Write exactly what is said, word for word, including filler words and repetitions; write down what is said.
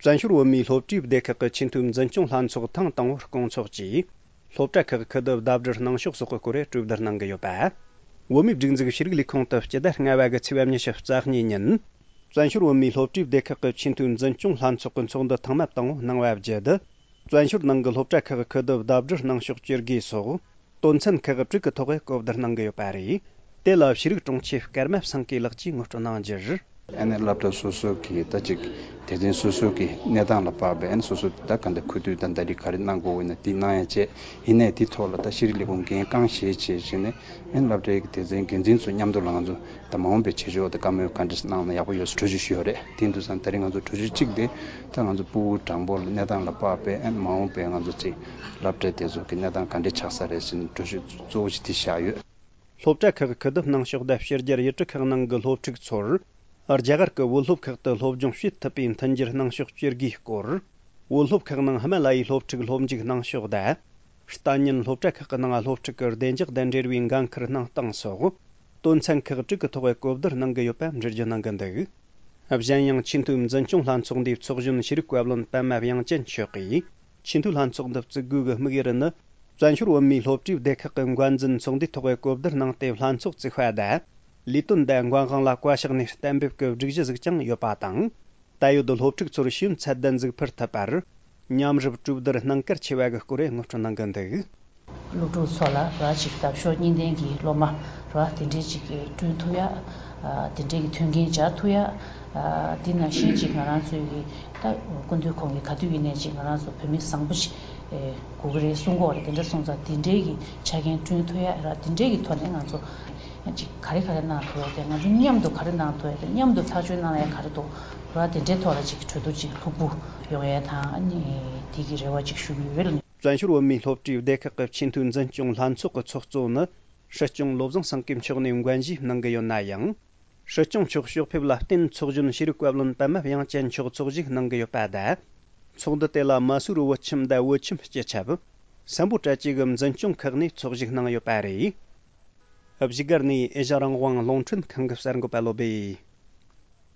བཙན་བྱོལ་བོད་མིའི་སློབ་གྲྭའི་སྡེ་ཁག་གི་ཆེས་མཐོའི་འཛིན་སྐྱོང་ལྷན་ཚོགས་ཐེངས་དང་པོར་སྐོང་ཚོགས་ཀྱིས། སློབ་གྲྭ་ཁག་ཁུ་བསྡུ་ཟླ་སྒྲིལ་གནང་ཕྱོགས་སོགས་ཀྱི་སྐོར་གྲོས་བསྡུར་གནང་གི་ཡོད་པ། བོད་མིའི་སྒྲིག་འཛུགས་ཤེས་རིག་ལས་ཁུངས་དུ་སྤྱི་ཟླ་ལྔ་པ་གི་ཚེས་པ་ཉི་ཤུ་རྩ་གཉིས་ཉིན། བཙན་བྱོལ་བོད་མིའི་སློབ་གྲྭའི་སྡེ་ཁག་གི་ཆེས་མཐོའི་འཛིན་སྐྱོང་ལྷན་ཚོགས་ཀྱི་ཚོགས་འདུ་ཐེངས་མ་དང་པོ་གནང་བ་བརྒྱུད། བཙན་བྱོལ་ནང་གི་སློབ་གྲྭ་ཁག་ཁུ་བསྡུ་ཟླ་སྒྲིལ་གནང་ཕྱོགས་བཅོས་དགོས་སོགས། དོན་ཚན་ཁག་དྲུག་གི་ཐོག་གི་གོ་བསྡུར་གནང་གི་ཡོད་པ་རེད། དེ་ལ་ཤེས་རིག་དྲུང་ཆེ་སྐར་མ་བསམ་སྐྱིད་ལགས་ཀྱིས་ངོ་སྤྲོད་གནང་རྒྱུར། ཨ་ནི་སློབ་གྲྭ་སོ་སོ་གི་ད་ཅིག་སྡེ་ཚན་སོ་སོ་གི་གནས་སྟངས་ལ་དཔག་པའི་ཨ་ནི་སོ་སོ་ད་ག་འདྲ་ཁུ་བསྡུ་དང་ཟླ་སྒྲིལ་ག་རེ་གནང་དགོས་ཡིན་ན་དེ་གནང་ཡ་བྱས། ཡིན་ནའི་དེ་ཐོག་ལ་ད་ཤེས་རིག་ལས་ཁུངས་འགན་རྐང་བཞེས་བྱས་བྱས་ནས་ཨ་ནི་སློབ་གྲྭའི་སྡེ་ཚན་འགན་འཛིན་ཚོ་མཉམ་དུ་ལ་ང་ཚོ་ད་མ་འོངས་པའི་བྱེད་ཕྱོགས་ད་བཀའ་མོལ་ག་འདྲ་གནང་ན་ཡག་པོ་ཡོད་ཟེར་གྲོས་ཆོད་ཞུས་ཡོད་རེད། དེ་འདུག་ཙང་ད་རེས་ང་ཚོ་གྲོས་ཆོད་གཅིག་དེ་ད་ང་ཚོ་ཕྲུ་གུ་གྲངས་འབོར་ལ་གནས་སྟངས་ལ་དཔག་པའི་ཨ་ནི་མ་འོངས་པའི་ང་ཚོ་ཅིག་སློབ་གྲྭ་དེ་ཚོ་གི་གནས་སྟངས་ག་འདྲ་ཆགས་ས་རེད་ཟེར་ནས་གྲོས་ཆོད་གཙོ་བོ་ཞིག་དེ་བཞག་ཡོད། སློབ་གྲྭ་ཁག་ཁུ་བསྡུ་གནང་ཕྱོགས་དང་ཕྱི་རྒྱལ་ཡུལ་གྲུ་ཁག་ནང་གི་སློབ་ཕྲུག་ཚོར། རྒྱ་གར་གྱི་བོད་སློབ་ཁག་ཏུ་སློབ་སྦྱོང་བྱེད་ཐུབ་པའི་མཐུན་འགྱུར་གནང་ཕྱོགས་བཅོས་དགོས་སྐོར། བོད་སློབ་ཁག་ནང་ཧི་མ་ལ་ཡའི་སློབ་ཕྲུག་སློབ་འཇུག་གནང་ཕྱོགས་དང་། ལྟ་ཉན་སློབ་གྲྭ་ཁག་གི་ནང་སློབ་ཕྲུག་གི་བདེ་འཇགས་དང་འབྲེལ་བའི་འགན་འཁུར་གནང་སྟངས་སོགས། དོན་ཚན་ཁག་དྲུག་གི་ཐོག་གི་གོ་བསྡུར་གནང་གི་ཡོད་པ་འགྲེལ་བརྗོད་གནང་གི་འདུག་གཞན་ཡང་ཆེས་མཐོའི་འཛིན་སྐྱོང་ལྷན་ཚོགས་འདིའི་ཚོགས་གཞོན་ཤེས་རིག་བཀའ་བློན་པདྨ་དབྱངས་ཅན་མཆོག་གིས། ཆེས་མཐོའི་ལྷན་ཚོགས་འདི་བཙུགས་དགོས་ཀྱི་དམིགས་ཡུལ་ནི། བཙན་བྱོལ་བོད་མིའི་སློབ་གྲྭའི་སྡེ་ཁག་གི་འགན་འཛིན་ཚོགས་འདུའི་ཐོག་གི་གོ་བསྡུར་གནང་སྟེ་ལྷན་ཚོགས་བཙུགས་པ་དང་། ལས་དོན་དང་འགན་དབང་ལ་བཀའ་ཤག་ནས་གཏན་འབེབས་ཀྱི་སྒྲིག་གཞི་ཟིག་ཀྱང་ཡོད་པ་དང་། ད་ཡོད་དུ་སློབ་ཕྲུག་ཚོར་ཤེས་ཡོན་ཚད་ལྡན་ཟིག་ཕུལ་ཐུབ་པར། མཉམ་རུབ་གྲོས་བསྡུར་གནང་གལ་ཆེ་བ་གི་སྐོར་ངོ་སྤྲོད་གནང་གི་འདུག་སློབ་ཕྲུག་ཚོ་ལ་ར་ཅིག་འདབ་གཤོག་གཉིས་ལྡན་གྱི་སློབ་མ་ར་དེ་འདྲའི་ཅིག་བསྐྲུན་ཐུབ་ཡ། དེ་འདྲའི་གི་མཐུན་རྐྱེན་སྦྱར་ཐུབ་ཡ། དེ་ནང་བཞིན་ཅིག་ང་རང་ཚོའི་གི་ད་སྐུ་མདུན་ཁོང་གི་ག་དུས་ཡིན་ནའི་ཅིག་ང་རང་ཚོ་བོད་མི་བཟང་པོ་ཅིག་དགོས་ཀྱི་རེད་གསུང་གི་ཡོད་རེད། དེ་འདྲ་སོང་ཙང་དེ་འདྲའི་གི་ཆ་རྐྱེན་བསྐྲུན་ཐུབ་ཡ་ར་དེ་འདྲའི་གི་ཐོག་ནས་ང་ཚོ་ཅིག་ག་རེ་ག་རེ་གནང་ཐུབ་ཡ་དེ་ང་ཚོ་མཉམ་དུ་ག་རེ་གནང་ཐུབ་ཡ་དེ་མཉམ་དུ་ཐག་གཅོད་གནང་ཡ་ག་རེ་འདུག་ར་དེ་འདྲའི་ཐོག་ལ་ཅིག་གྲོས་བསྡུར་ཅིག་ལྷུག་པོ་ཡོང་ཡ་དང་ཨ་ནི་དེ་གི་རེ་བ་ཅིག་ཞུ་གི་ཡོད། བཙན་བྱོལ་བོད་མིའི་སློབ་གྲྭའི་སྡེ་ཁག་གི་ཆེས་མཐོའི་འཛིན་སྐྱོང་ལྷན་ཚོགས་ཀྱི་ཚོགས་གཙོ་ནི། སྲིད་སྐྱོང་བློ་བཟང་སེང་གེ་མཆོག་ནས་འགན་བཞེས་གནང་གི་ཡོད་ན་ཡང་། སྲིད་སྐྱོང་མཆོག་ཕྱོགས་ཕེབས་ལ་བརྟེན་ཚོགས་གཞོན་ཤེས་རིག་བཀའ་བློན་པདྨ་དབྱངས་ཅན་མཆོག་ཚོགས་ཞུགས་གནང་གི་ཡོད་པ་དང་། ཚོགས་འདུ་དེ་ལ་མ་སུ་རི་བོད་ཁྱིམ་དང་བོད་ཁྱིམ་སྤྱི་ཁྱབ། སམ་བྷོ་ཊ་བཅས་ཀྱི་འཛིན་སྐྱོང་ཁག་ནས་ཚོགས་ཞུགས་གནང་ཡོད་པ་རེད། བཞུགས་སྒར་ནས་ཨེ་ཤ་རང་དབང་རླུང་འཕྲིན་ཁང་གི་གསར་འགོད་པ་བློ་སྦེ།